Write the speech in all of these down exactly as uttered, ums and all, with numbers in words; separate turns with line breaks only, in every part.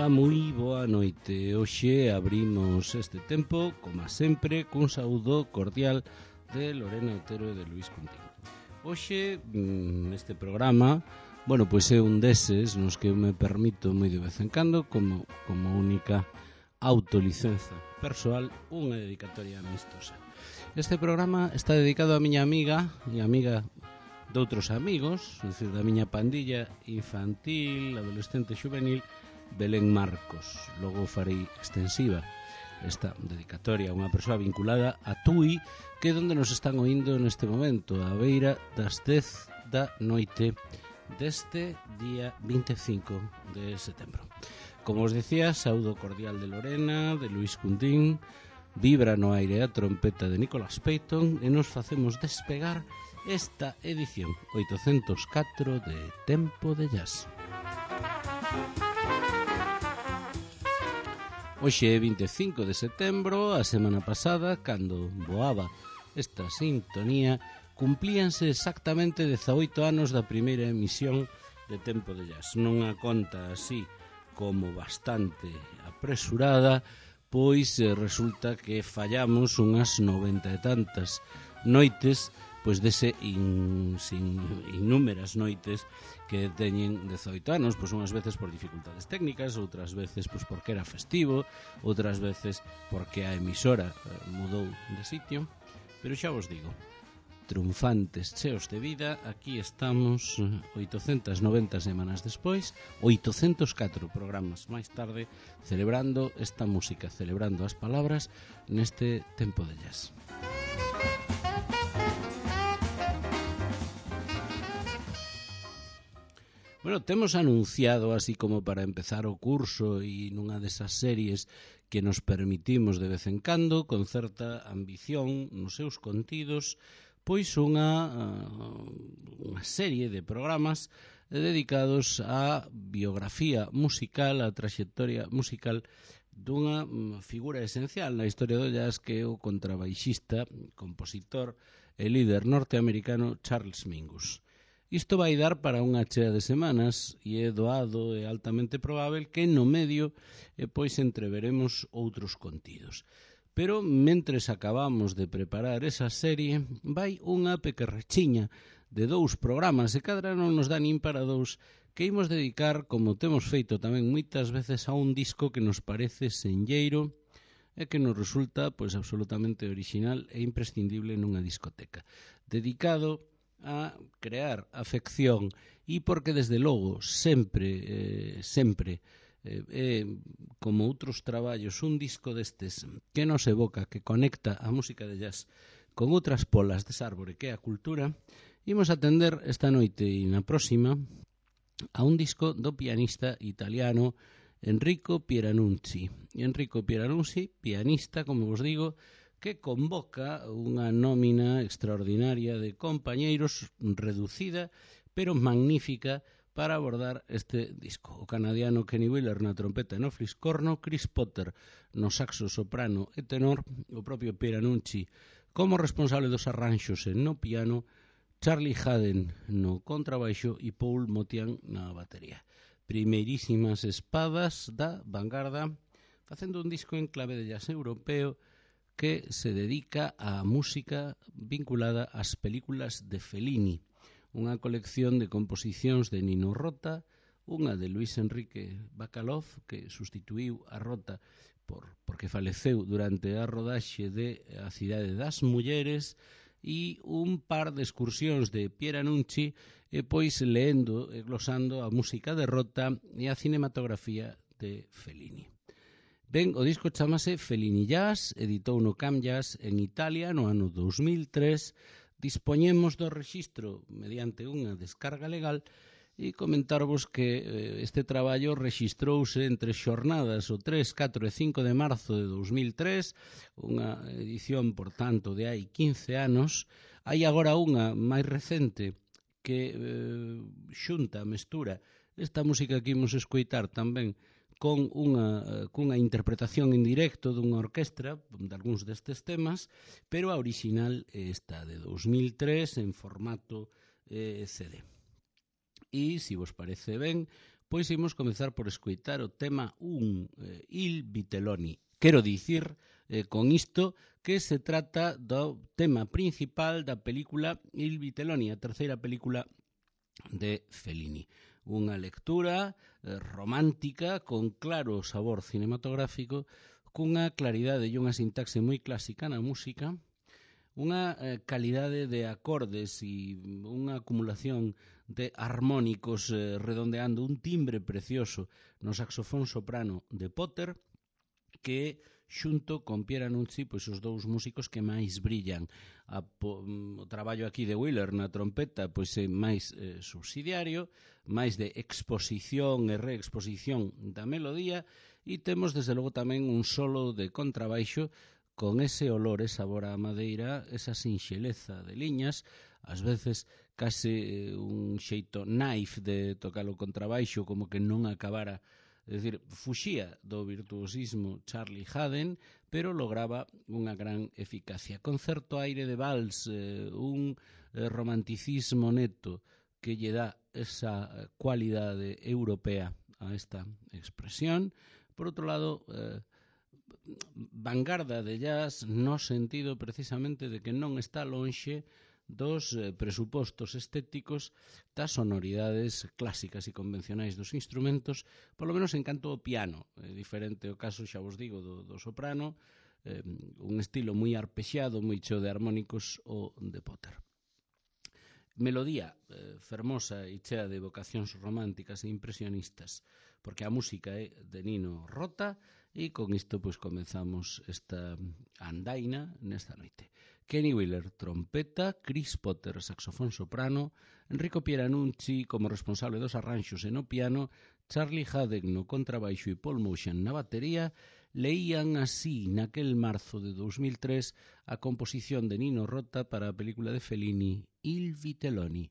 Ola, moi boa noite. Hoxe abrimos este tempo, como sempre, cun saúdo cordial de Lorena Otero e de Luís Cuntín. Hoxe, neste programa, bueno, pois é un deses nos que eu me permito moi de vez en cando, como, como única autolicenza persoal, unha dedicatoria amistosa. Este programa está dedicado a miña amiga e amiga de outros amigos, é dicir, da miña pandilla infantil, adolescente e juvenil, Belén Marcos. Logo farei extensiva esta dedicatoria a unha persoa vinculada a Tui, que é onde nos están oindo neste momento, a beira das dez da noite deste día vinte e cinco de setembro. Como os decía, saúdo cordial de Lorena, de Luís Cuntín, vibra no aire a trompeta de Nicholas Payton e nos facemos despegar esta edición oitocentos catro de Tempo de Jazz. Hoxe é vinte e cinco de setembro, a semana pasada, cando voaba esta sintonía, cumplíanse exactamente dezaoito anos da primeira emisión de Tempo de Jazz. Non a conta así como bastante apresurada, pois resulta que fallamos unhas noventa e tantas noites, pois dese in, sin, innúmeras noites que teñen dezaoito anos, pois unhas veces por dificultades técnicas, outras veces pois porque era festivo, outras veces porque a emisora eh, mudou de sitio, pero xa vos digo, triunfantes, cheos de vida, aquí estamos oitocentas noventa semanas despois, oitocentos catro programas máis tarde, celebrando esta música, celebrando as palabras neste Tempo de Jazz. Bueno, temos anunciado, así como para empezar o curso e nunha desas series que nos permitimos de vez en cando, con certa ambición nos seus contidos, pois unha, unha serie de programas dedicados á biografía musical, á traxectoria musical dunha figura esencial na historia do jazz, que é o contrabaixista, compositor e líder norteamericano Charles Mingus. Isto vai dar para unha chea de semanas e é doado e altamente probável que no medio e pois entreveremos outros contidos. Pero mentres acabamos de preparar esa serie, vai unha pequerrechiña de dous programas e cadra non nos dá nin para dous, que imos dedicar, como temos feito tamén moitas veces, a un disco que nos parece senlleiro e que nos resulta pois absolutamente original e imprescindible nunha discoteca. Dedicado a crear afección e porque desde logo sempre, eh, sempre eh, eh, como outros traballos, un disco destes que nos evoca, que conecta a música de jazz con outras polas desa árbore que é a cultura, imos atender esta noite e na próxima a un disco do pianista italiano Enrico Pieranunzi. Enrico Pieranunzi, pianista, como vos digo, que convoca unha nómina extraordinaria de compañeiros, reducida, pero magnífica, para abordar este disco. O canadiano Kenny Wheeler na trompeta e no fliscorno, Chris Potter no saxo soprano e tenor, o propio Pieranunzi como responsable dos arranxos e no piano, Charlie Haden no contrabaixo e Paul Motian na batería. Primeirísimas espadas da vanguarda, facendo un disco en clave de jazz europeo que se dedica á música vinculada ás películas de Fellini, unha colección de composicións de Nino Rota, unha de Luis Enrique Bacalov, que sustituiu a Rota por, porque faleceu durante a rodaxe de A cidade das mulleres, e un par de excursións de Pieranunzi, e pois leendo e glosando a música de Rota e a cinematografía de Fellini. Ben, o disco chamase Fellini Jazz, editou no Cam Jazz en Italia no ano dous mil tres, dispoñemos do rexistro mediante unha descarga legal e comentarvos que este traballo rexistrouse entre xornadas o tres, catro e cinco de marzo de dous mil tres, unha edición, por tanto, de hai quince anos. Hai agora unha máis recente que eh, xunta, mestura esta música que imos escoitar tamén con unha, cunha interpretación en directo dunha orquestra de algúns destes temas, pero a original é esta de dous mil tres en formato eh, C D. E, se vos parece ben, pois imos comezar por escoitar o tema un, eh, Il Vitelloni. Quero dicir eh, con isto que se trata do tema principal da película Il Vitelloni, a terceira película de Fellini. Unha lectura eh, romántica con claro sabor cinematográfico, cunha claridade e unha sintaxe moi clásica na música, unha eh, calidade de acordes e unha acumulación de armónicos eh, redondeando un timbre precioso no saxofón soprano de Potter, que xunto con Pieranunzi, pois os dous músicos que máis brillan. A, po, o traballo aquí de Wheeler na trompeta pois é máis eh, subsidiario, máis de exposición e reexposición da melodía, e temos desde logo tamén un solo de contrabaixo con ese olor e sabor á madeira, esa sinxeleza de liñas, ás veces case un xeito naif de tocar o contrabaixo, como que non acabara, é dicir, fuxía do virtuosismo Charlie Haden, pero lograba unha gran eficacia. Con certo aire de vals, eh, un eh, romanticismo neto que lle dá esa cualidade europea a esta expresión. Por outro lado, eh, vanguarda de jazz no sentido precisamente de que non está lonxe dos eh, presupostos estéticos das sonoridades clásicas e convencionais dos instrumentos, polo menos en canto ao piano. É diferente o caso, xa vos digo, do, do soprano, eh, un estilo moi arpexado, moi cheo de armónicos, o de Potter. Melodía eh, fermosa e chea de vocacións románticas e impresionistas, porque a música é de Nino Rota, e con isto pois comezamos esta andaina nesta noite. Kenny Wheeler, trompeta, Chris Potter, saxofón soprano, Enrico Pieranunzi como responsable dos arranxos e no piano, Charlie Haden no contrabaixo e Paul Motian na batería, leían así naquel marzo de dos mil tres a composición de Nino Rota para a película de Fellini Il Vitelloni.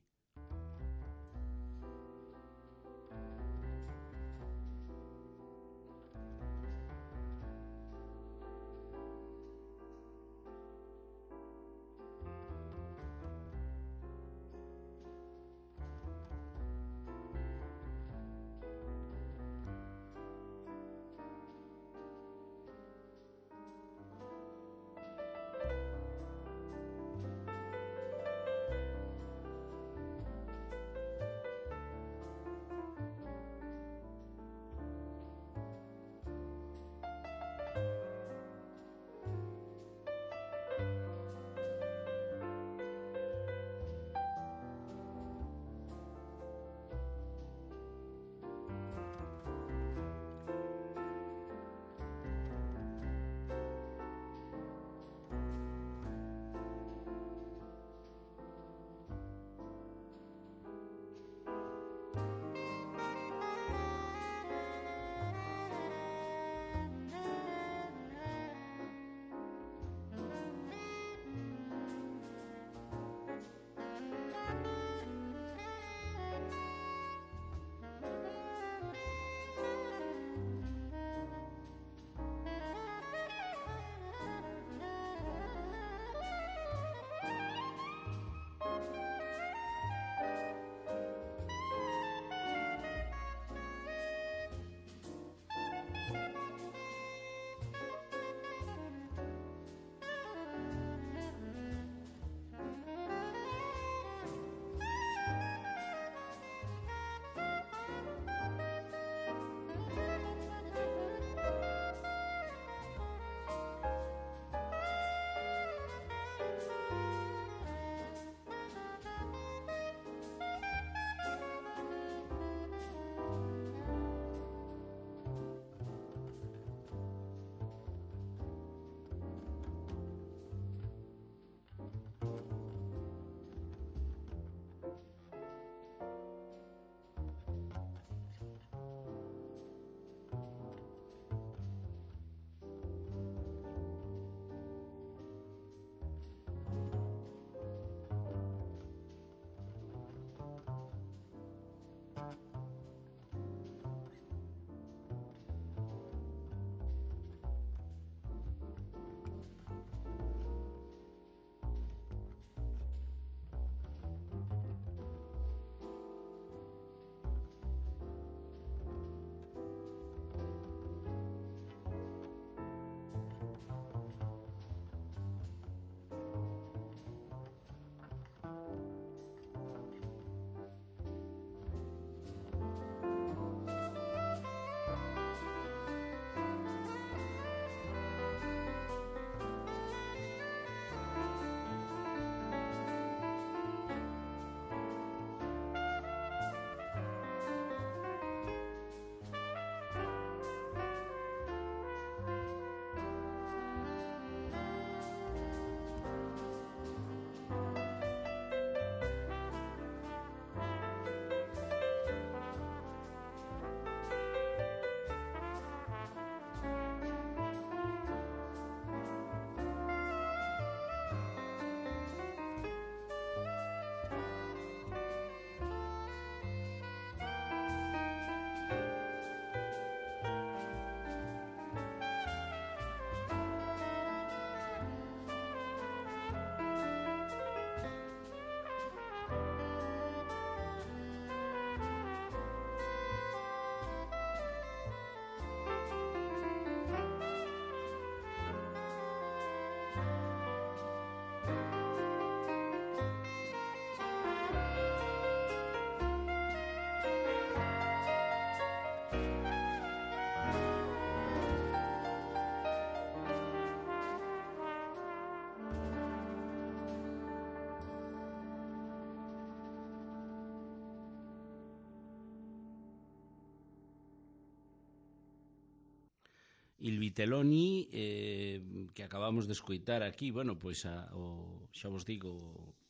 Il Vitelloni, eh, que acabamos de escoitar aquí, bueno, pois a, o, xa vos digo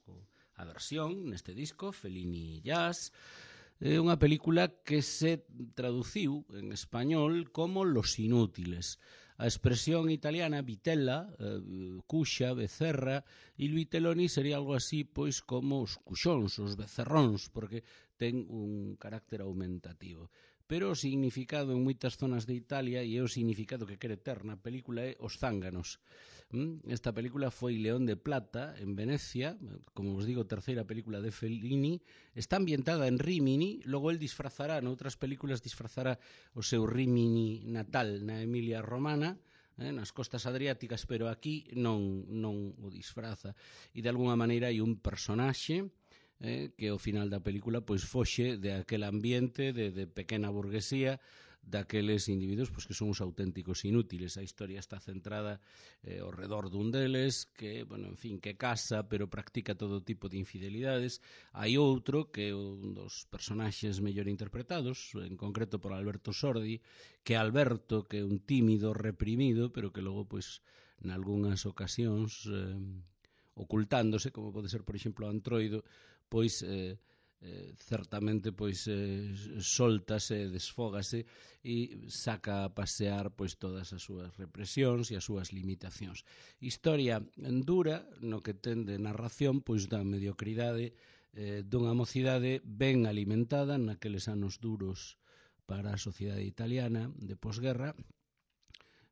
o, a versión neste disco, Fellini Jazz, é unha película que se traduciu en español como Los Inútiles. A expresión italiana vitella, eh, cuxa, becerra, Il Vitelloni sería algo así pois como os cuxóns, os becerróns, porque ten un carácter aumentativo. Pero o significado en moitas zonas de Italia, e é o significado que quere ter na película, é os zánganos. Esta película foi León de Plata, en Venecia, como vos digo, terceira película de Fellini, está ambientada en Rímini, logo el disfrazará, noutras películas disfrazará o seu Rímini natal na Emilia Romana, eh, nas costas adriáticas, pero aquí non, non o disfraza. E de alguna maneira hai un personaxe Eh, que ao final da película pois foxe de aquel ambiente de, de pequena burguesía, daqueles individuos pois, que son os auténticos inútiles. A historia está centrada eh, ao redor dun deles que, bueno, en fin, que casa pero practica todo tipo de infidelidades. Hai outro que é un dos personaxes mellor interpretados, en concreto por Alberto Sordi, que é Alberto, que é un tímido reprimido, pero que logo pois nalgúnas ocasións eh, ocultándose, como pode ser, por exemplo, Antroido, pois eh, eh, certamente pois eh, soltase, desfógase e saca a pasear pois todas as súas represións e as súas limitacións. Historia dura no que ten de narración pois da mediocridade eh, dunha mocidade ben alimentada naqueles anos duros para a sociedade italiana de posguerra,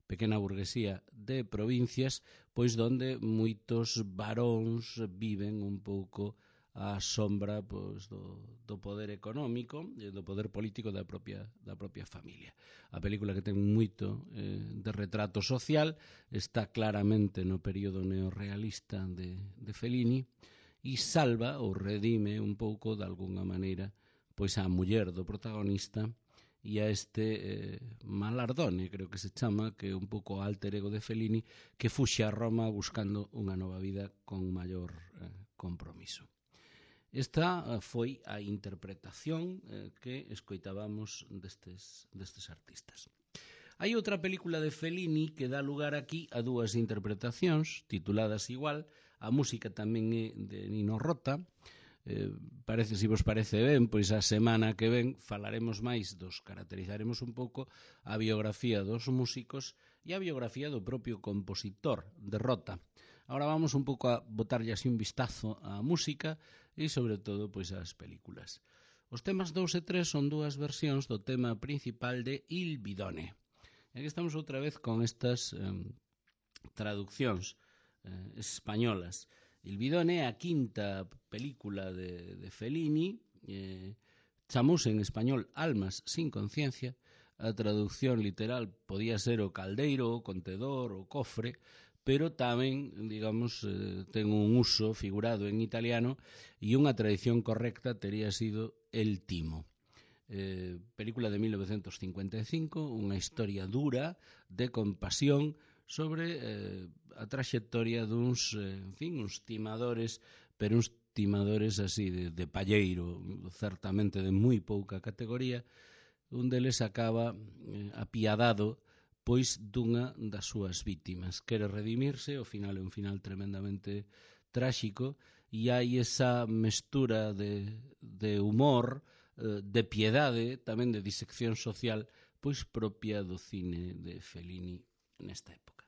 pequena burguesía de provincias, pois donde moitos varóns viven un pouco a sombra pois, do, do poder económico e do poder político da propia, da propia familia. A película, que ten moito eh, de retrato social, está claramente no período neorrealista de, de Fellini e salva ou redime un pouco, de alguna maneira, pois a muller do protagonista e a este eh, Malardone, creo que se chama, que é un pouco alter ego de Fellini, que fuxe a Roma buscando unha nova vida con maior eh, compromiso. Esta foi a interpretación eh, que escoitábamos destes, destes artistas. Hai outra película de Fellini que dá lugar aquí a dúas interpretacións tituladas igual. A música tamén é de Nino Rota. Eh, parece, se vos parece ben, pois a semana que ven falaremos máis dos, caracterizaremos un pouco a biografía dos músicos e a biografía do propio compositor de Rota. Ahora vamos un pouco a botarlle así un vistazo á música e sobre todo pois ás películas. Os temas dous e tres son dúas versións do tema principal de Il Bidone. E aquí estamos outra vez con estas eh, traduccións eh, españolas. Il Bidone é a quinta película de, de Fellini, eh, chamouse en español Almas sin conciencia. A traducción literal podía ser o caldeiro, o contedor, o cofre, pero tamén, digamos, eh, ten un uso figurado en italiano e unha tradición correcta tería sido El Timo. Eh, película de mil novecientos cincuenta e cinco, unha historia dura de compasión sobre eh, a traxectoria duns, eh, en fin, uns timadores, pero uns timadores así de, de palleiro, certamente de moi pouca categoría. Un deles acaba eh, apiadado pois dunha das súas vítimas. Quere redimirse, o final é un final tremendamente tráxico, e hai esa mestura de, de humor, de piedade, tamén de disección social, pois propia do cine de Fellini nesta época.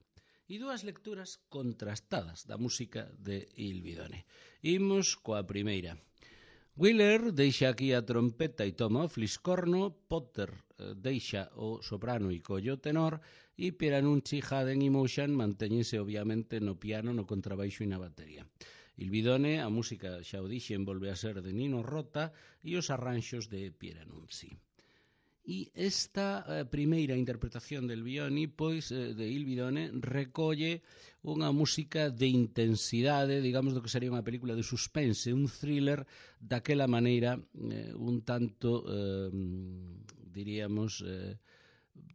E dúas lecturas contrastadas da música de Il Bidone. Imos coa primeira. Wheeler deixa aquí a trompeta e toma o fliscorno, Potter eh, deixa o soprano e colle o tenor, e Pieranucci, Haden e Motion mantéñense obviamente no piano, no contrabaixo e na batería. Il Bidone, a música, xa o dixen, volve a ser de Nino Rota e os arranxos de Pieranucci. E esta eh, primeira interpretación del Bidone, pois, eh, de Il Bidone, recolle unha música de intensidade, digamos, do que sería unha película de suspense, un thriller daquela maneira eh, un tanto, eh, diríamos, eh,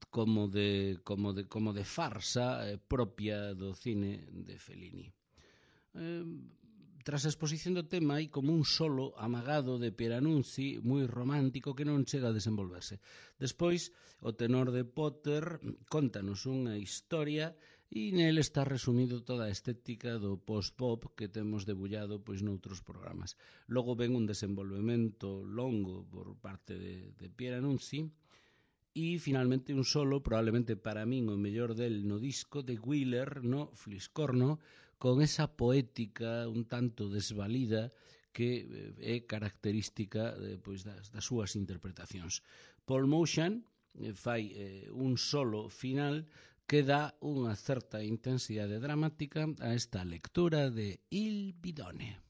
como, de, como, de, como de farsa eh, propia do cine de Fellini. Eh, tras a exposición do tema hai como un solo amagado de Pieranunzi moi romántico que non chega a desenvolverse. Despois, o tenor de Potter contanos unha historia e nel está resumido toda a estética do post-pop que temos debullado pois noutros programas. Logo ven un desenvolvemento longo por parte de, de Pieranunzi e finalmente un solo, probablemente para min o mellor del no disco de Wheeler no Fliscorno, con esa poética un tanto desvalida que é característica de, pois, das, das súas interpretacións. Paul Motian eh, fai eh, un solo final que dá unha certa intensidade dramática a esta lectura de Il Bidone.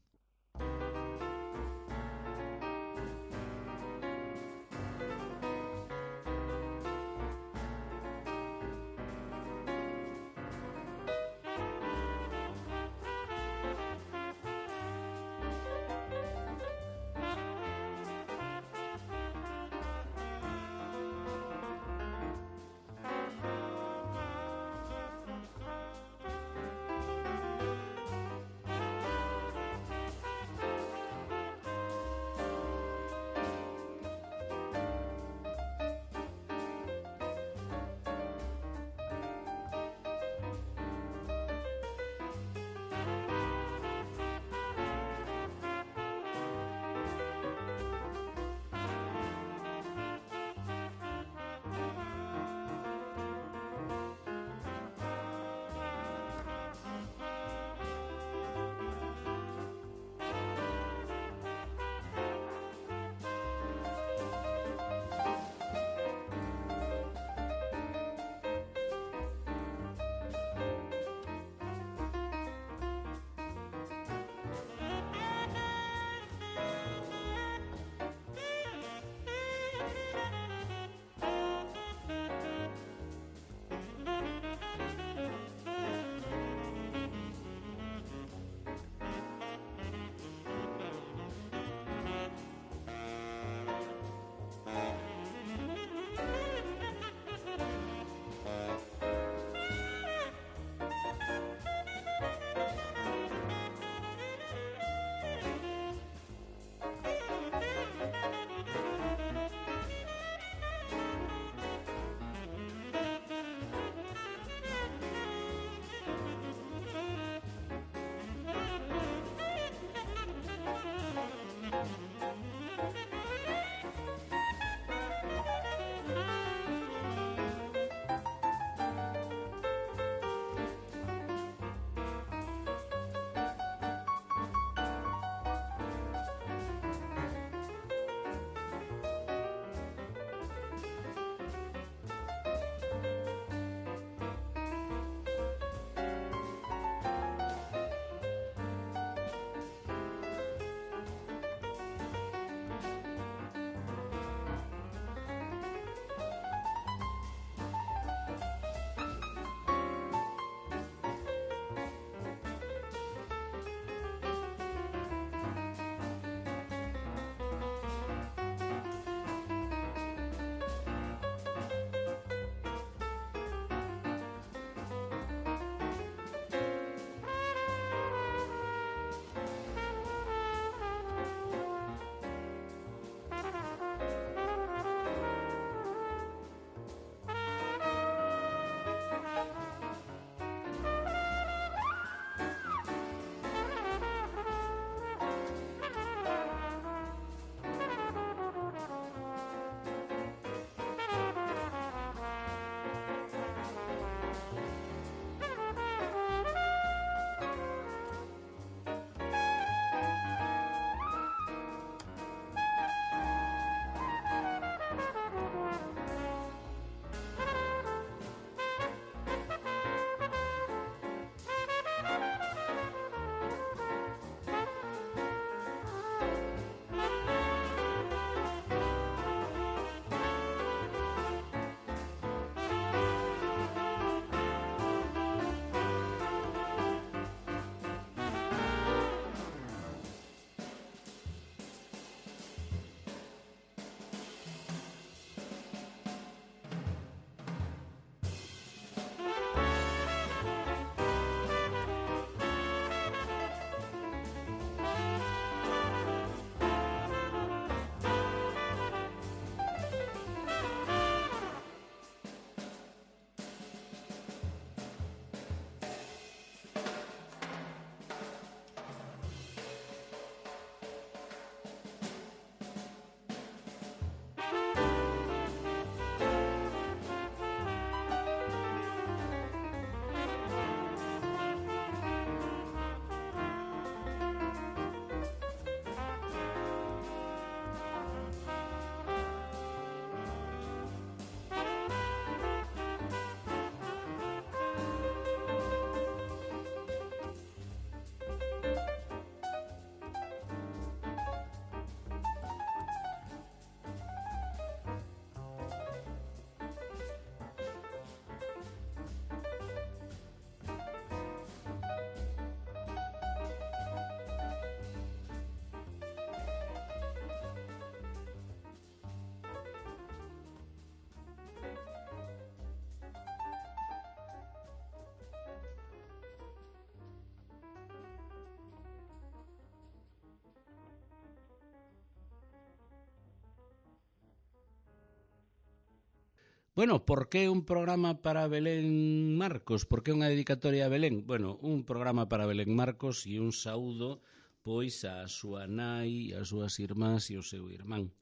Bueno, por que un programa para Belén Marcos? Por que unha dedicatoria a Belén? Bueno, un programa para Belén Marcos e un saúdo pois a súa nai, as súas irmás e o seu irmán.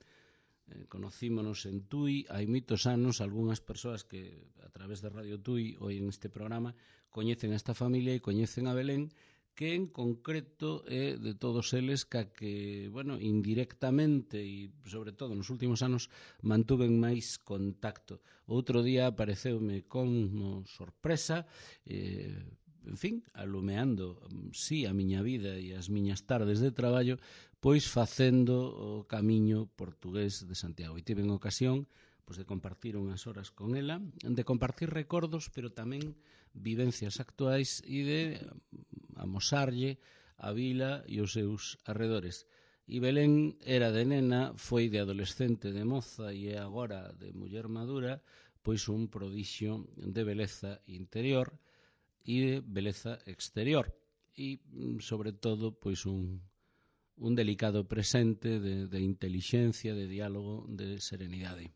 Eh, conocímonos en Tui hai moitos anos. Algúnas persoas que a través de Radio Tui oen este programa coñecen a esta familia e coñecen a Belén, que en concreto é de todos eles ca que, bueno, indirectamente e sobre todo nos últimos anos mantuven máis contacto. Outro día apareceume como sorpresa, eh, en fin, alumeando, sí, a miña vida e as miñas tardes de traballo, pois facendo o camiño portugués de Santiago. E tiven ocasión pois, de compartir unhas horas con ela, de compartir recordos, pero tamén vivencias actuais e de amosarlle a vila e os seus arredores. E Belén era de nena, foi de adolescente, de moza e é agora de muller madura, pois un prodixio de beleza interior e de beleza exterior. E, sobre todo, pois un, un delicado presente de, de intelixencia, de diálogo, de serenidade.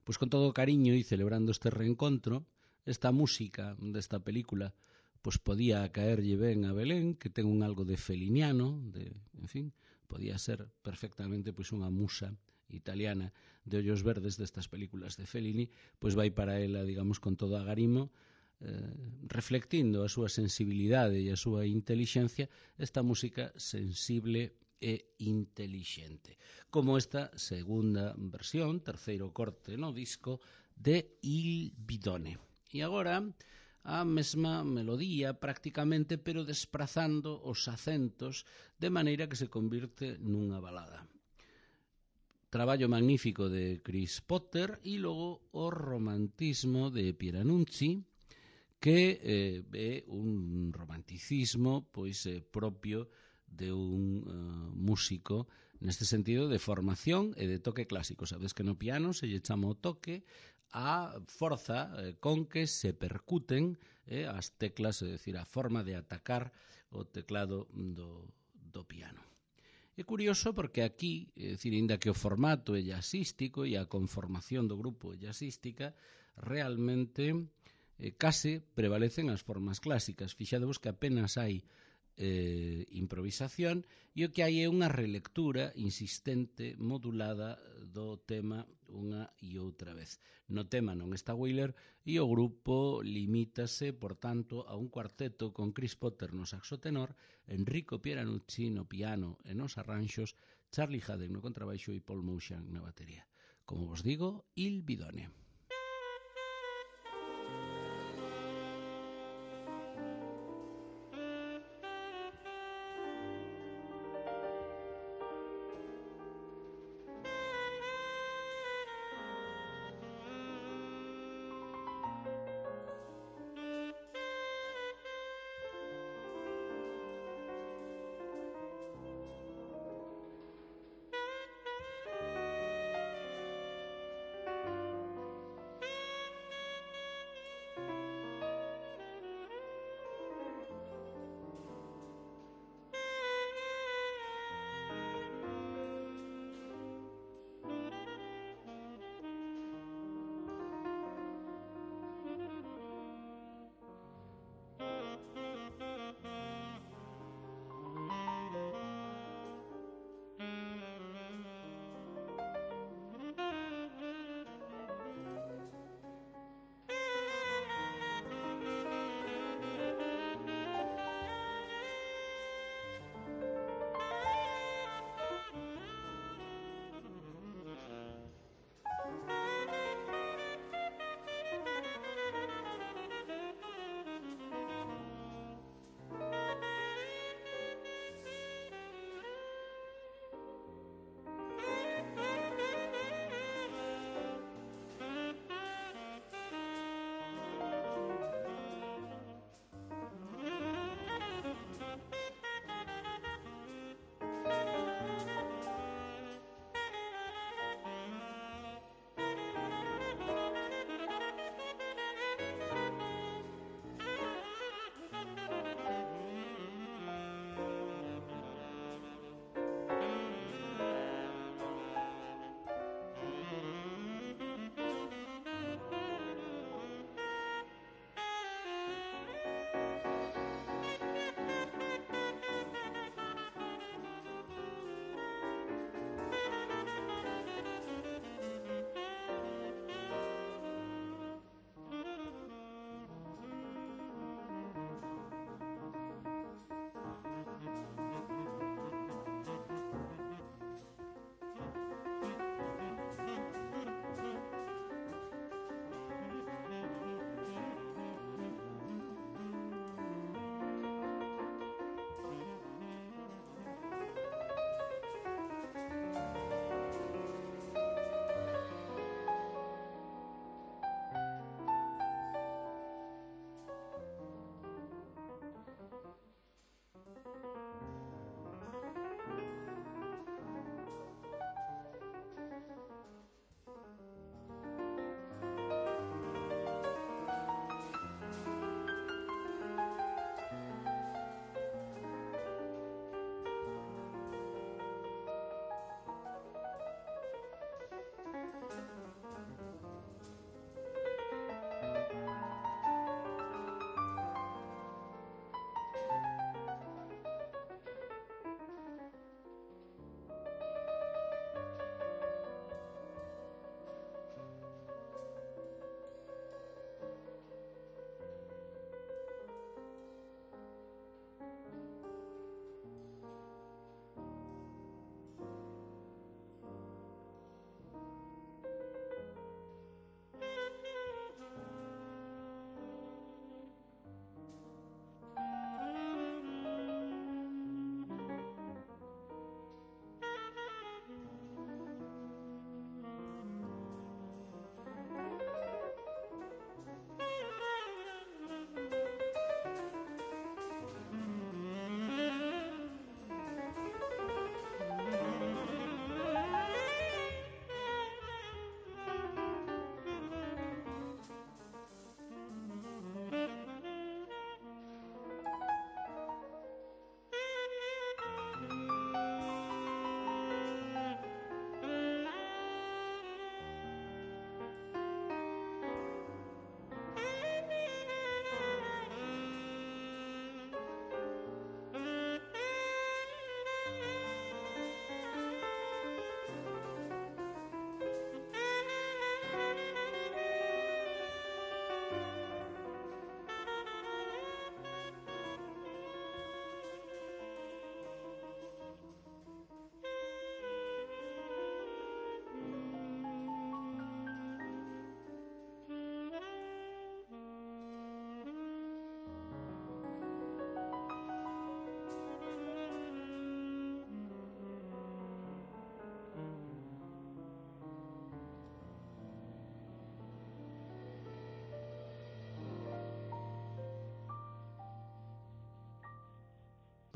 Pois con todo o cariño e celebrando este reencontro, esta música desta película pois podía caerlle ben a Belén, que ten un algo de feliniano, de, en fin, podía ser perfectamente pois unha musa italiana de ollos verdes destas películas de Fellini, pois vai para ela, digamos, con todo agarimo, eh, reflectindo a súa sensibilidade e a súa intelixencia, esta música sensible e intelixente, como esta segunda versión, terceiro corte no disco de Il Bidone. E agora a mesma melodía prácticamente, pero desprazando os acentos de maneira que se convirte nunha balada. Traballo magnífico de Chris Potter e logo o romantismo de Pieranucci, que eh, é un romanticismo pois eh, propio de un uh, músico neste sentido de formación e de toque clásico. Sabes que no piano se lle chama o toque a forza eh, con que se percuten eh, as teclas, é dicir, a forma de atacar o teclado do, do piano. É curioso porque aquí, é dicir, inda que o formato é jazzístico e a conformación do grupo é jazzística, realmente eh, case prevalecen as formas clásicas. Fixadevos que apenas hai eh, improvisación e o que hai é unha relectura insistente, modulada do tema unha e outra vez. No tema non está Wheeler e o grupo limítase, por tanto, a un cuarteto con Chris Potter no saxo tenor, Enrico Pieranucci no piano e nos arranxos, Charlie Haden no contrabaixo e Paul Moutian na batería. Como vos digo, Il Bidone.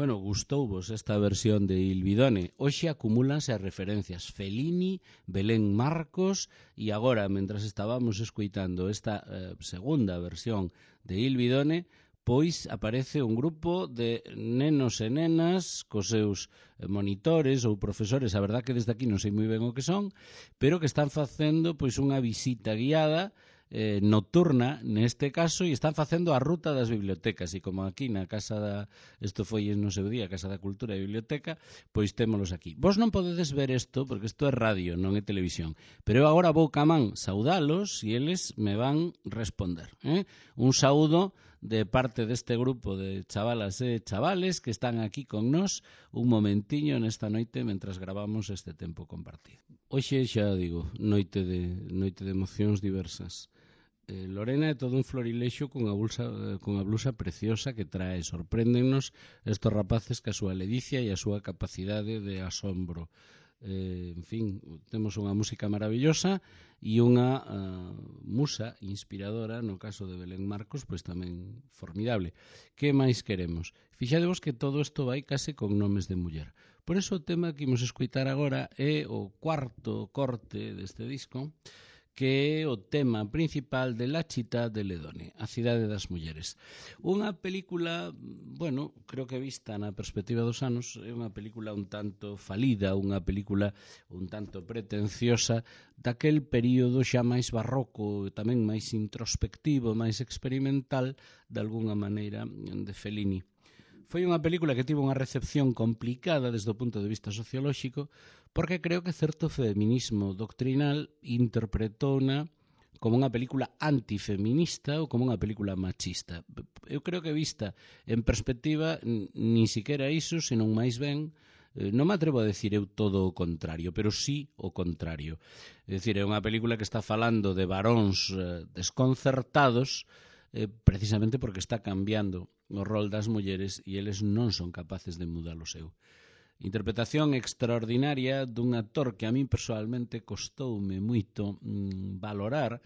Bueno, gustouvos esta versión de Il Bidone. Hoxe acumúlanse as referencias Fellini, Belén Marcos e agora, mentras estábamos escoitando esta eh, segunda versión de Il Bidone, pois aparece un grupo de nenos e nenas cos seus monitores ou profesores, a verdad que desde aquí non sei moi ben o que son, pero que están facendo pois unha visita guiada Eh, nocturna neste caso e están facendo a ruta das bibliotecas e como aquí na Casa da isto foi no seu día, Casa da Cultura e Biblioteca, pois témolos aquí. Vos non podedes ver isto porque isto é radio, non é televisión, pero eu agora vou camán saudalos e eles me van responder, eh? Un saúdo de parte deste grupo de chavalas e chavales que están aquí con nós un momentiño nesta noite mentras gravamos este tempo compartido. Hoxe xa digo, noite de, noite de emocións diversas. Eh, Lorena é todo un florilexo con a, bolsa, con a blusa preciosa que trae. Sorpréndennos estos rapaces que a súa ledicia e a súa capacidade de asombro. Eh, en fin, temos unha música maravillosa e unha uh, musa inspiradora, no caso de Belén Marcos, pois tamén formidable. Que máis queremos? Fixadevos que todo isto vai case con nomes de muller. Por eso o tema que imos escoitar agora é o cuarto corte deste disco, que é o tema principal de La Città delle Donne, a cidade das mulleres. Unha película, bueno, creo que vista na perspectiva dos anos, é unha película un tanto falida, unha película un tanto pretenciosa daquel período xa máis barroco, tamén máis introspectivo, máis experimental, de alguna maneira, de Fellini. Foi unha película que tivo unha recepción complicada desde o punto de vista sociolóxico porque creo que certo feminismo doctrinal interpretóuna como unha película antifeminista ou como unha película machista. Eu creo que vista en perspectiva ni siquiera iso, senón máis ben, non me atrevo a decir eu todo o contrario, pero sí o contrario. É dicir, é unha película que está falando de varóns desconcertados eh, precisamente porque está cambiando o rol das mulleres e eles non son capaces de mudar o seu. Interpretación extraordinaria dun actor que a mí personalmente costoume moito mm, valorar,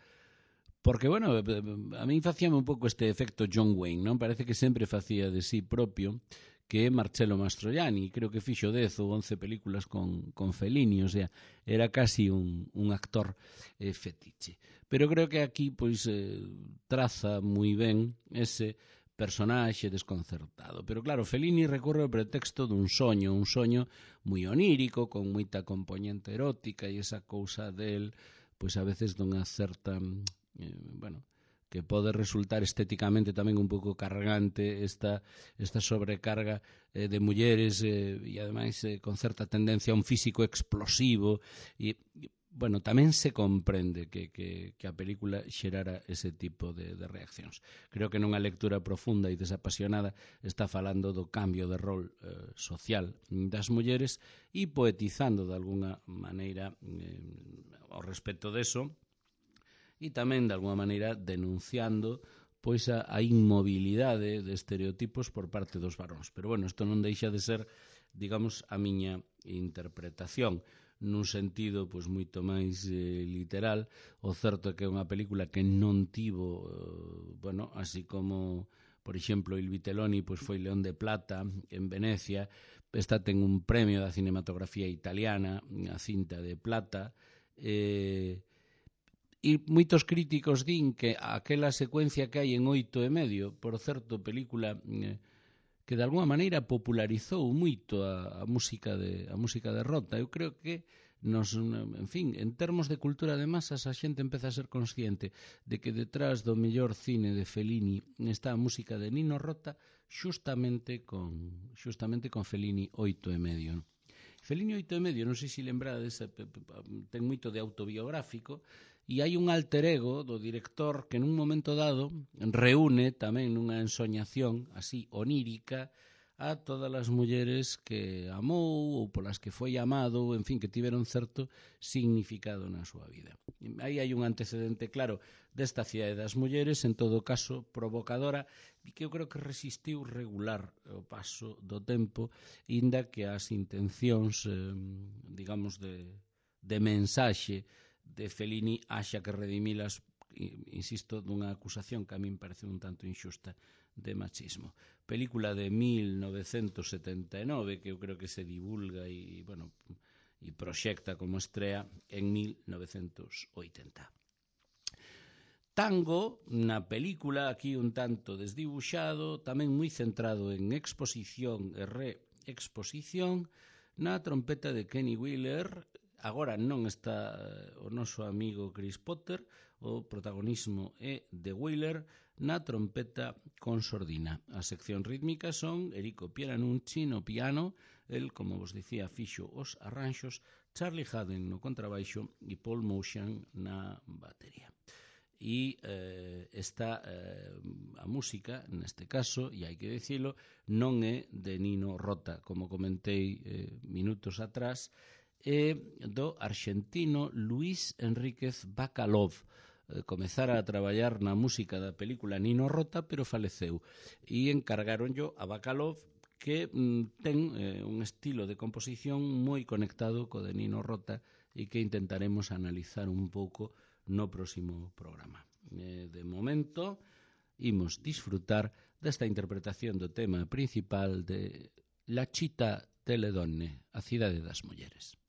porque, bueno, a mí facíame un pouco este efecto John Wayne, non? Parece que sempre facía de sí propio, que é Marcello Mastroianni, creo que fixo dez ou once películas con, con Fellini, o sea, era casi un, un actor eh, fetiche. Pero creo que aquí, pois, eh, traza moi ben ese personaxe desconcertado. Pero claro, Fellini recorre ao pretexto dun soño, un soño moi onírico, con moita componente erótica e esa cousa del, pois a veces dunha certa, eh, bueno, que pode resultar estéticamente tamén un pouco cargante esta, esta sobrecarga eh, de mulleres eh, e ademais eh, con certa tendencia a un físico explosivo e, bueno, tamén se comprende que, que, que a película xerara ese tipo de, de reaccións. Creo que nunha lectura profunda e desapasionada está falando do cambio de rol eh, social das mulleres e poetizando de alguna maneira eh, ao respecto deso e tamén de alguna maneira denunciando pois a, a inmobilidade de estereotipos por parte dos varóns. Pero bueno, isto non deixa de ser, digamos, a miña interpretación nun sentido pois moito máis eh, literal. O certo é que é unha película que non tivo, eh, bueno, así como, por exemplo, Il Vitelloni pois foi León de Plata en Venecia, esta ten un premio da cinematografía italiana, a cinta de plata, eh, e moitos críticos din que aquela secuencia que hai en oito e medio, por certo, película eh, que de alguma maneira popularizou moito a, a música de a música de Rota. Eu creo que nos, en fin, en termos de cultura de masas a xente empeza a ser consciente de que detrás do mellor cine de Fellini está a música de Nino Rota xustamente con xustamente con Fellini oito e medio. Fellini oito e medio, non sei se lembrades, ten moito de autobiográfico. E hai un alter ego do director que nun momento dado reúne tamén nunha ensoñación así onírica a todas as mulleres que amou ou polas que foi amado, en fin, que tiveron certo significado na súa vida. Aí hai un antecedente claro desta cidade das mulleres, en todo caso provocadora, e que eu creo que resistiu regular o paso do tempo, inda que as intencións, eh, digamos, de, de mensaxe de Fellini haxa que redimilas insisto, dunha acusación que a min parece un tanto injusta de machismo. Película de mil novecentos setenta e nove que eu creo que se divulga e, bueno, e proxecta como estrea en mil novecentos oitenta. Tango, na película, aquí un tanto desdibuxado, tamén moi centrado en exposición e reexposición, na trompeta de Kenny Wheeler. Agora non está o noso amigo Chris Potter, o protagonismo é de Wheeler na trompeta con sordina. As seccións rítmicas son Enrico Pieranunzi no piano, el, como vos dicía, fixo os arranxos, Charlie Haden no contrabaixo e Paul Motian na batería. E eh, esta eh, a música, neste caso, e hai que dicilo, non é de Nino Rota, como comentei eh, minutos atrás, é do arxentino Luis Enríquez Bacalov. Eh, comezara a traballar na música da película Nino Rota, pero faleceu. E encargaronllo a Bacalov, que mm, ten eh, un estilo de composición moi conectado co de Nino Rota e que intentaremos analizar un pouco no próximo programa. Eh, de momento, imos disfrutar desta interpretación do tema principal de La Città delle Donne, a cidade das mulleres.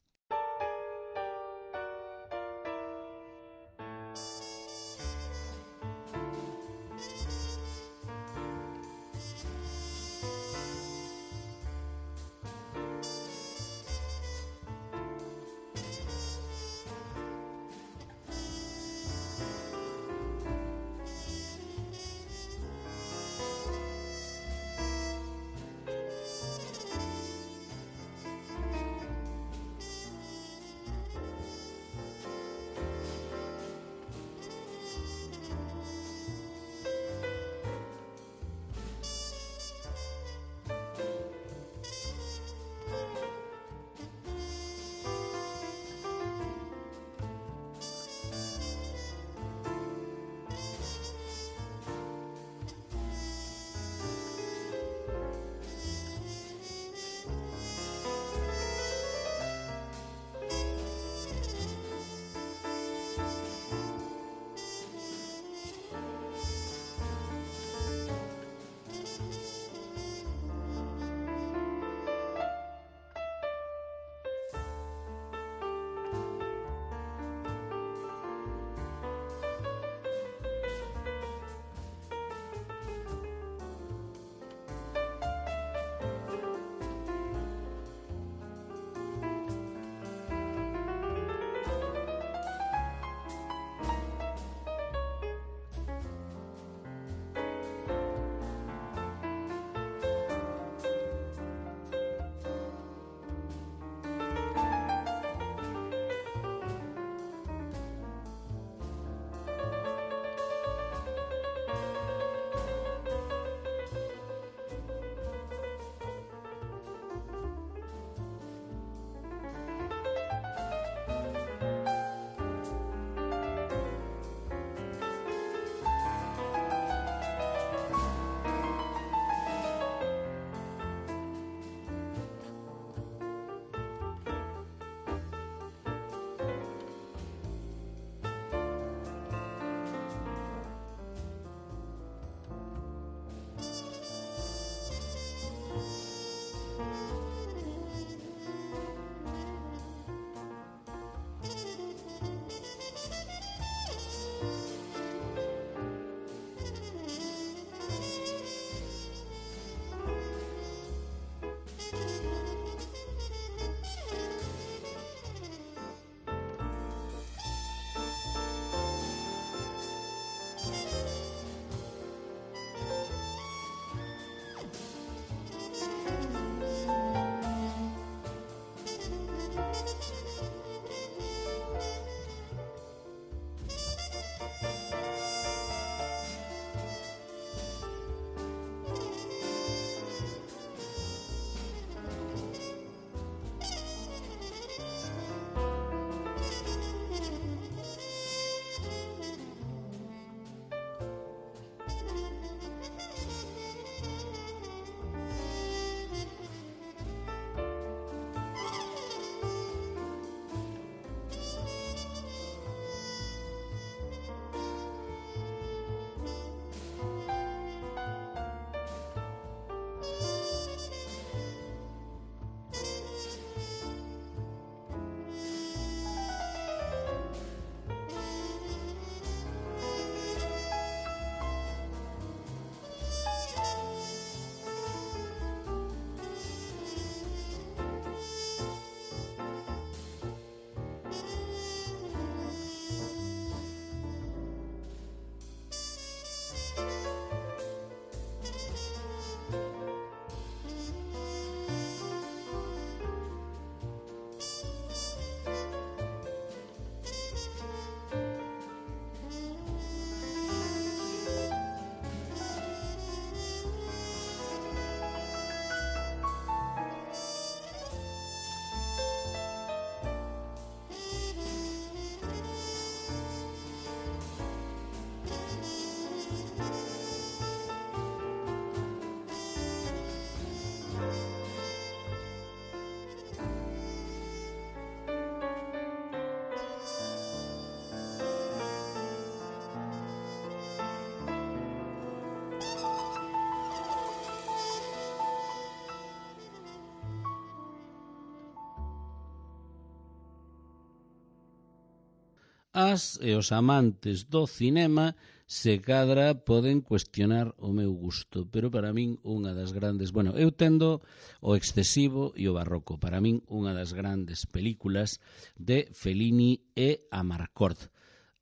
as e os amantes do cinema se cadra poden cuestionar o meu gusto, pero para min unha das grandes, bueno, eu tendo o excesivo e o barroco, para min unha das grandes películas de Fellini é Amarcord.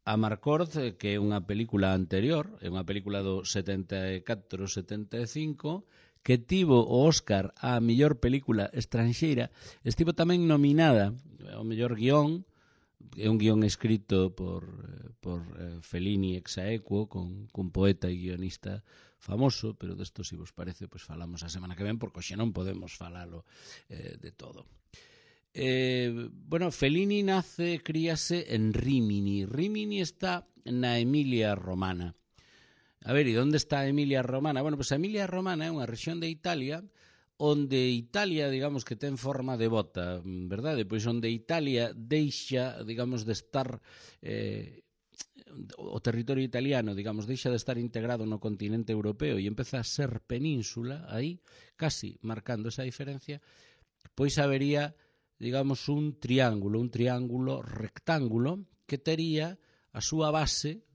Amarcord, que é unha película anterior, é unha película do setenta e catro setenta e cinco, que tivo o Óscar á mellor película estranxeira, estivo tamén nominada ao mellor guión. É un guión escrito por, por eh, Fellini ex aequo, con, con poeta e guionista famoso, pero desto, se vos parece, pois falamos a semana que ven, porque hoxe non podemos falalo eh, de todo. Eh, bueno, Fellini nace, críase en Rímini. Rímini está na Emilia Romana. A ver, e onde está a Emilia Romana? Bueno, pois a Emilia Romana é unha rexión de Italia onde Italia, digamos, que ten forma de bota, verdade? Pois onde Italia deixa, digamos, de estar eh, o territorio italiano, digamos, deixa de estar integrado no continente europeo e empeza a ser península, aí, casi marcando esa diferencia, pois habería, digamos, un triángulo, un triángulo rectángulo que tería a súa base,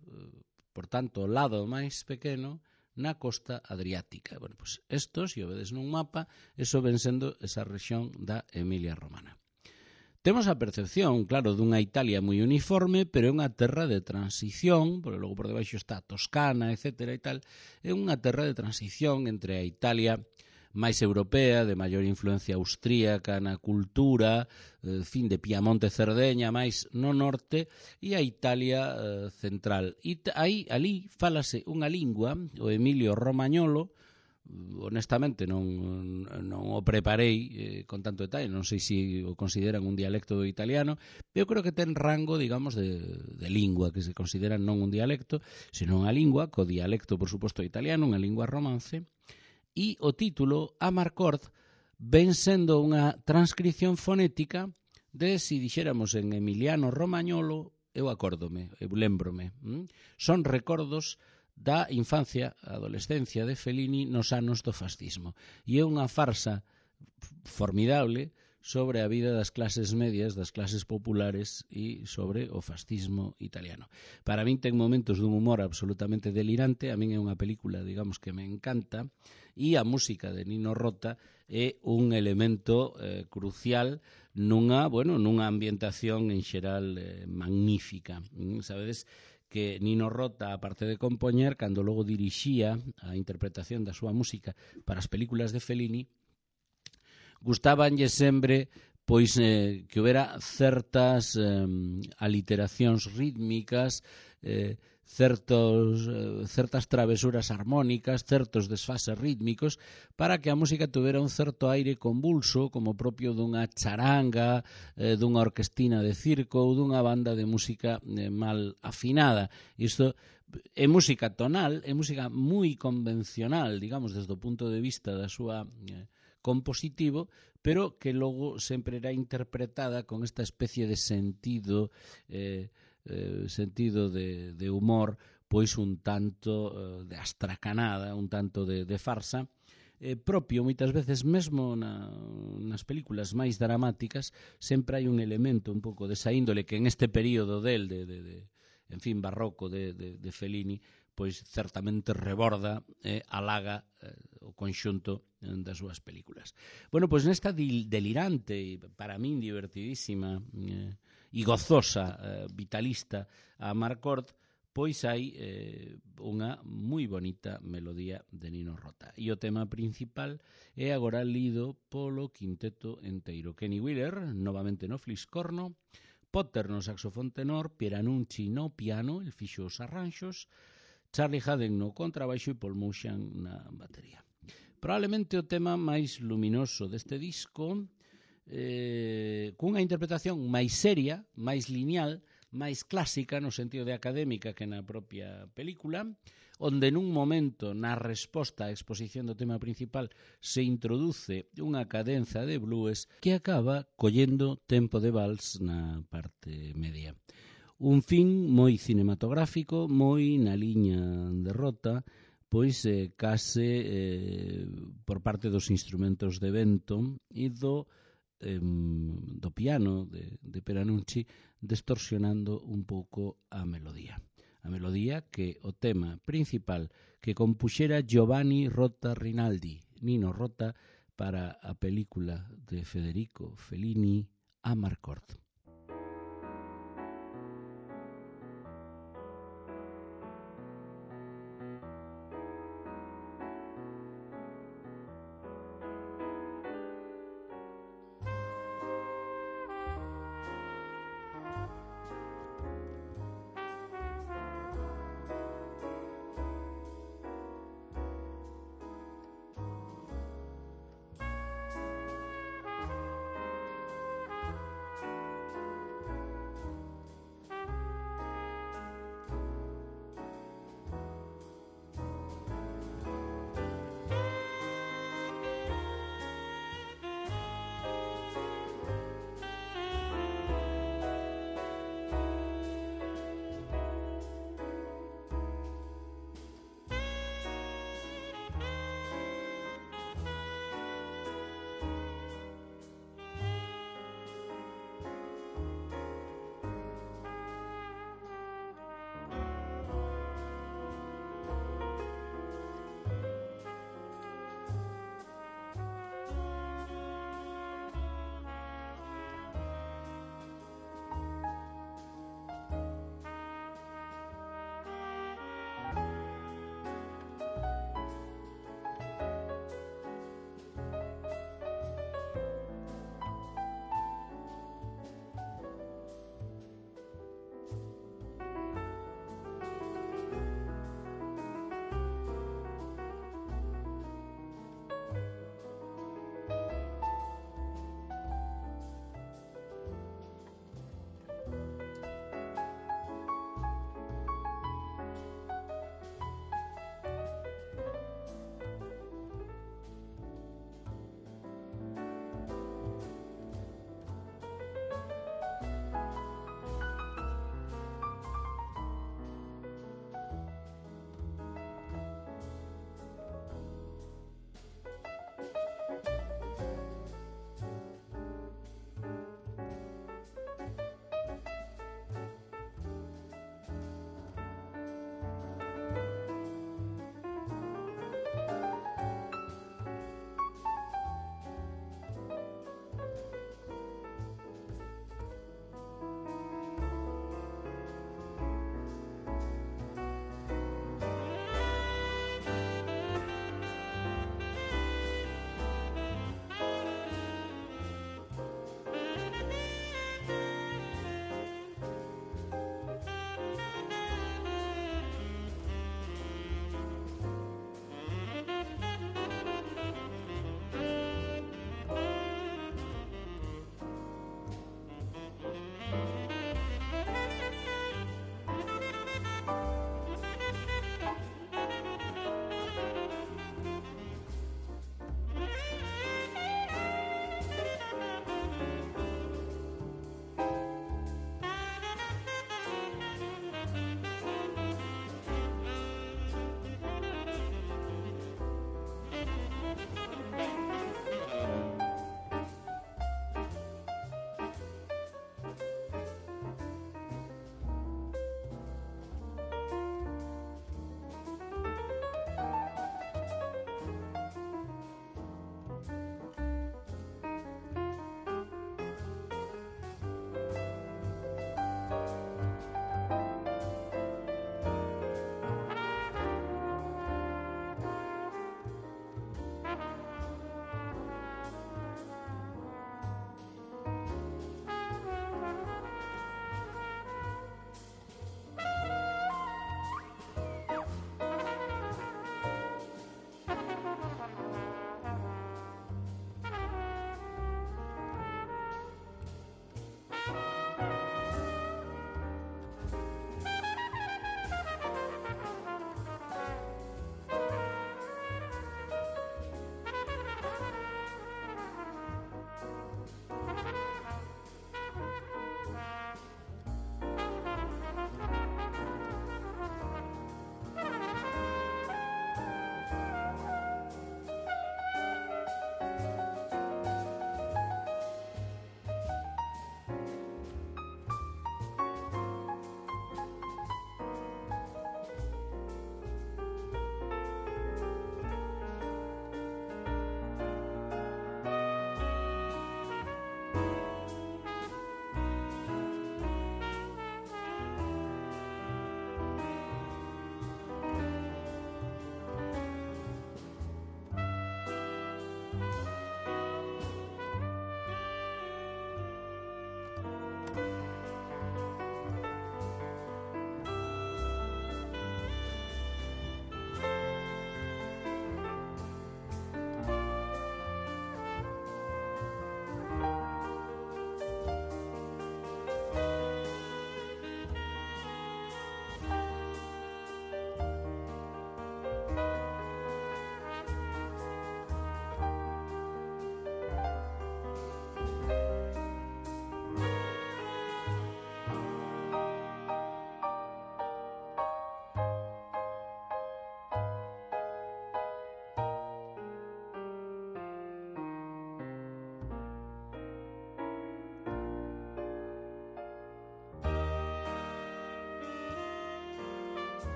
por tanto, o lado máis pequeno, na costa adriática. Bueno, pois estos, se o vedes nun mapa, eso ven sendo esa rexión da Emilia Romana. Temos a percepción, claro, dunha Italia moi uniforme, pero é unha terra de transición, porque logo por debaixo está a Toscana, etcétera e tal, é unha terra de transición entre a Italia máis europea, de maior influencia austríaca na cultura, eh, fin de Piamonte, Cerdeña, máis no norte, e a Italia eh, central. E aí, ali, fálase unha lingua, o Emilio Romagnolo, honestamente non, non o preparei eh, con tanto detalle, non sei se o consideran un dialecto do italiano, eu creo que ten rango, digamos, de, de lingua, que se considera non un dialecto, senón unha lingua, co dialecto, por suposto, italiano, unha lingua romance. E o título, Amarcord, ven sendo unha transcripción fonética de, se dixéramos en emiliano romagnolo, eu acórdome, eu lembrome. Hm? Son recordos da infancia, adolescencia de Fellini nos anos do fascismo. E é unha farsa formidable sobre a vida das clases medias, das clases populares e sobre o fascismo italiano. Para min ten momentos dun humor absolutamente delirante, a min é unha película, digamos, que me encanta, e a música de Nino Rota é un elemento eh, crucial nunha, bueno, nunha ambientación en xeral eh, magnífica. Mm, sabedes que Nino Rota, aparte de compoñer, cando logo dirixía a interpretación da súa música para as películas de Fellini, gustabanlle sempre pois eh, que houbera certas eh, aliteracións rítmicas, eh, certos, eh, certas travesuras armónicas, certos desfases rítmicos, para que a música tuvera un certo aire convulso, como propio dunha charanga, eh, dunha orquestina de circo ou dunha banda de música eh, mal afinada. Isto é música tonal, é música moi convencional, digamos, desde o punto de vista da súa eh, compositivo, pero que logo sempre era interpretada con esta especie de sentido eh, eh, sentido de, de humor, pois un tanto eh, de astracanada, un tanto de, de farsa, eh, propio moitas veces mesmo na, nas películas máis dramáticas sempre hai un elemento un pouco desa índole que en este período del de, de, de en fin, barroco de, de, de Fellini, pois certamente reborda e eh, alaga eh, o conxunto das súas películas. Bueno, pois nesta delirante e para min divertidísima eh, e gozosa eh, vitalista a Amarcord, pois hai eh, unha moi bonita melodía de Nino Rota. E o tema principal é agora lido polo quinteto enteiro. Kenny Wheeler, novamente no fliscorno, Potter no saxofón tenor, Pieranucci no piano, el fixo os arranxos, Charlie Haden no contrabaixo e Paul Moutian na batería. Probablemente o tema máis luminoso deste disco, eh, cunha interpretación máis seria, máis lineal, máis clásica no sentido de académica que na propia película, onde nun momento na resposta á exposición do tema principal se introduce unha cadenza de blues que acaba collendo tempo de vals na parte media. Un fin moi cinematográfico, moi na liña de Rota, pois eh, case eh, por parte dos instrumentos de vento e do, eh, do piano de, de Pieranucci distorsionando un pouco a melodía. A melodía que o tema principal que compuxera Giovanni Rota Rinaldi, Nino Rota, para a película de Federico Fellini, Amarcord.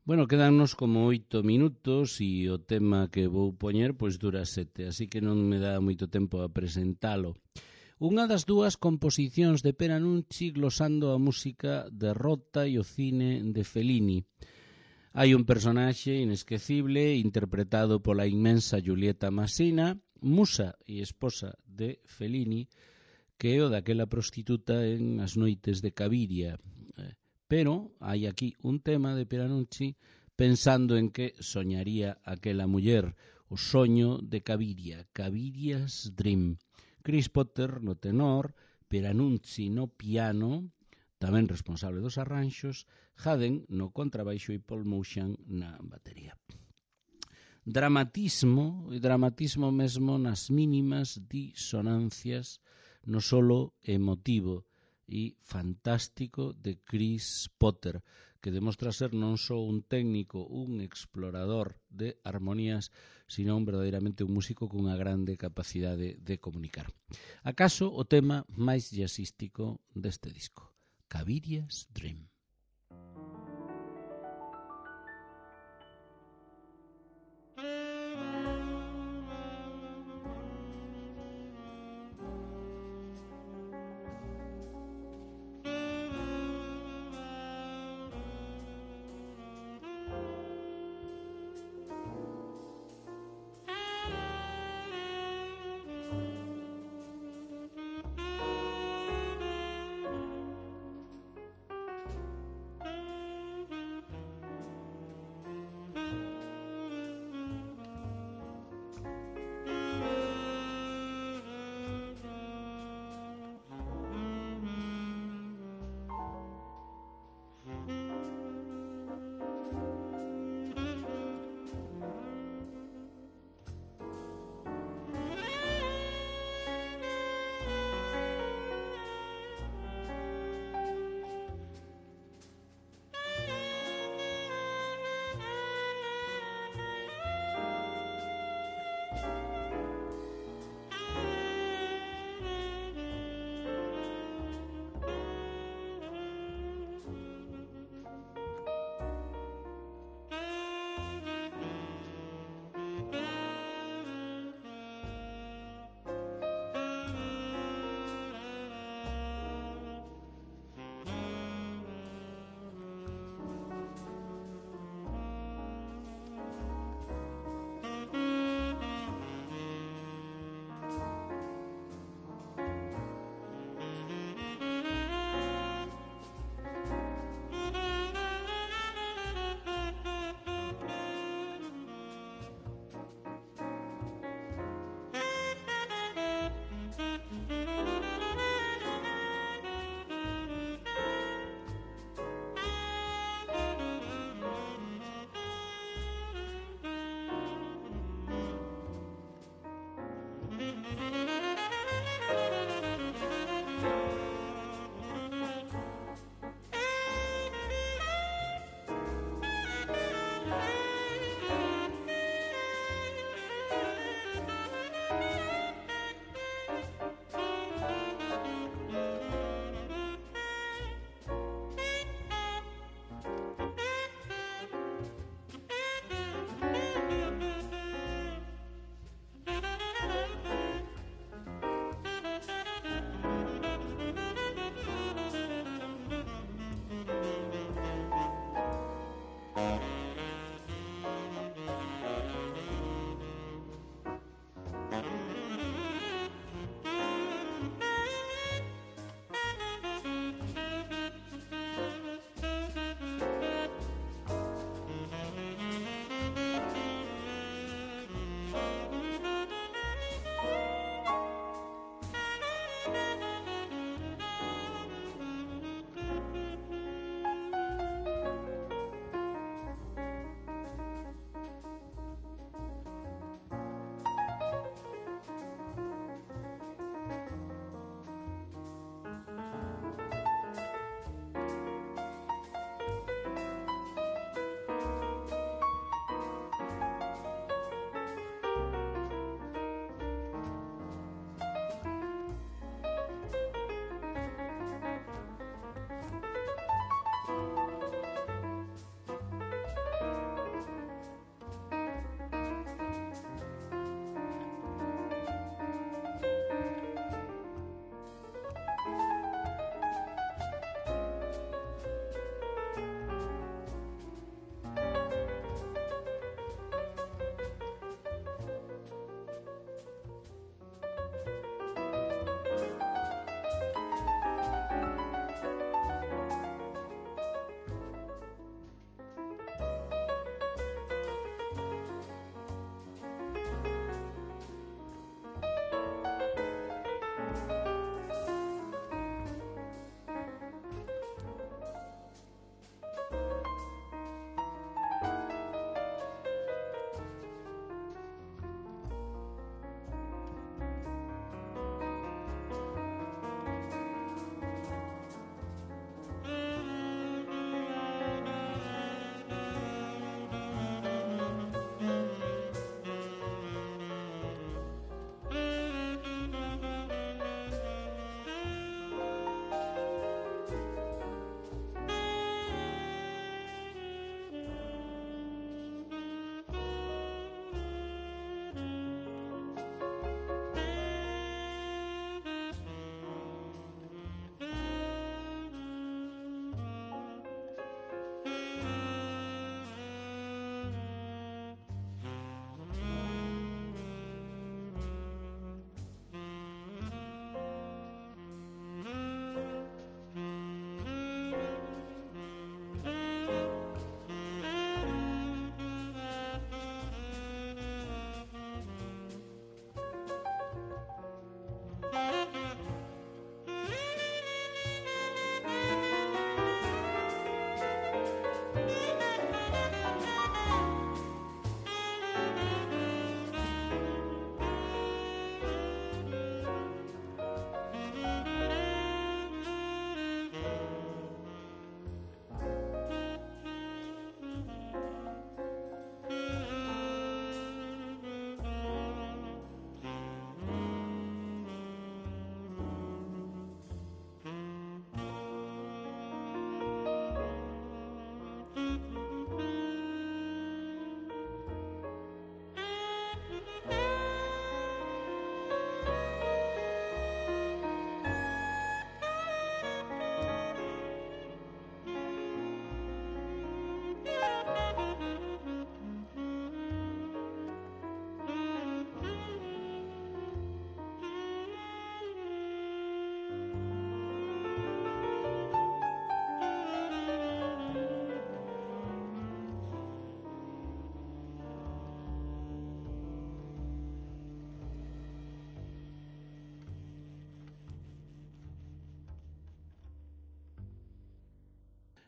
Bueno, quedannos como oito minutos e o tema que vou poñer pois dura sete, así que non me dá moito tempo a presentalo. Unha das dúas composicións de Peranucci glosando a música de Rota e o cine de Fellini. Hai un personaxe inesquecible interpretado pola inmensa Giulietta Massina, musa e esposa de Fellini, que é o daquela prostituta en As noites de Caviria. Pero hai aquí un tema de Peranucci pensando en que soñaría aquela muller, o soño de Caviria, Caviria's Dream. Chris Potter no tenor, Peranucci no piano, tamén responsable dos arranxos, Haden no contrabaixo e Paul Moutian na batería. Dramatismo, e dramatismo mesmo nas mínimas disonancias, no solo emotivo e fantástico de Chris Potter, que demostra ser non só un técnico, un explorador de armonías, sino un verdadeiramente un músico cunha grande capacidade de comunicar. Acaso o tema máis jazzístico deste disco, Caviria's Dream.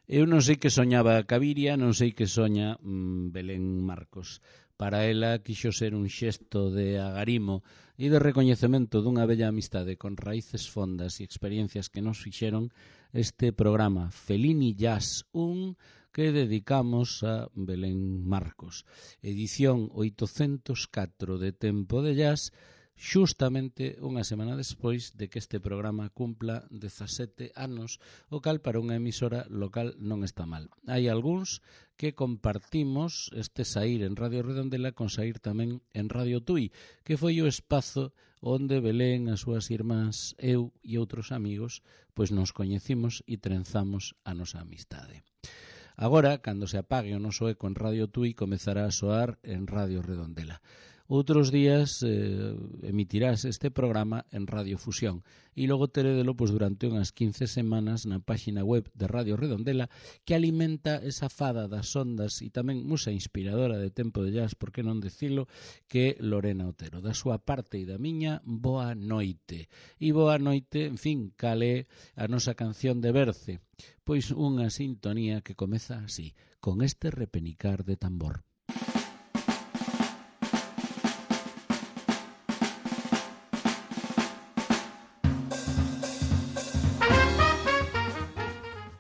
Eu non sei que soñaba Caviria, non sei que soña mmm, Belén Marcos. Para ela quixo ser un xesto de agarimo e de recoñecemento dunha bella amistade con raíces fondas e experiencias que nos fixeron este programa Fellini Jazz un que dedicamos a Belén Marcos. Edición oitocentos catro de Tempo de Jazz, xustamente unha semana despois de que este programa cumpla dezasete anos, o cal para unha emisora local non está mal. Hai algúns que compartimos este saír en Radio Redondela con saír tamén en Radio Tui, que foi o espazo onde Belén, as súas irmás, eu e outros amigos, pois nos coñecimos e trenzamos a nosa amistade. Agora, cando se apague o noso eco en Radio Tui, comezará a soar en Radio Redondela. Outros días eh, emitirás este programa en Radio Fusión e logo teredelo pois, durante unhas quince semanas na páxina web de Radio Redondela, que alimenta esa fada das ondas e tamén musa inspiradora de Tempo de Jazz, por que non decilo, que Lorena Otero. Da súa parte e da miña, boa noite. E boa noite, en fin, cale a nosa canción de Berce, pois unha sintonía que comeza así, con este repenicar de tambor.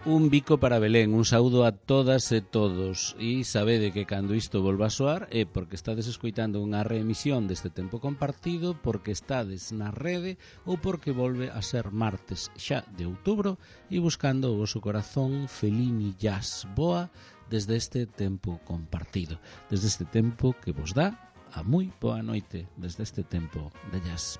Un bico para Belén, un saúdo a todas e todos. E sabede que cando isto volva a soar é porque estades escoitando unha reemisión deste tempo compartido, porque estades na rede ou porque volve a ser martes xa de outubro e buscando o vosso corazón Fellini Jazz boa desde este tempo compartido, desde este tempo que vos dá a moi boa noite, desde este tempo de jazz.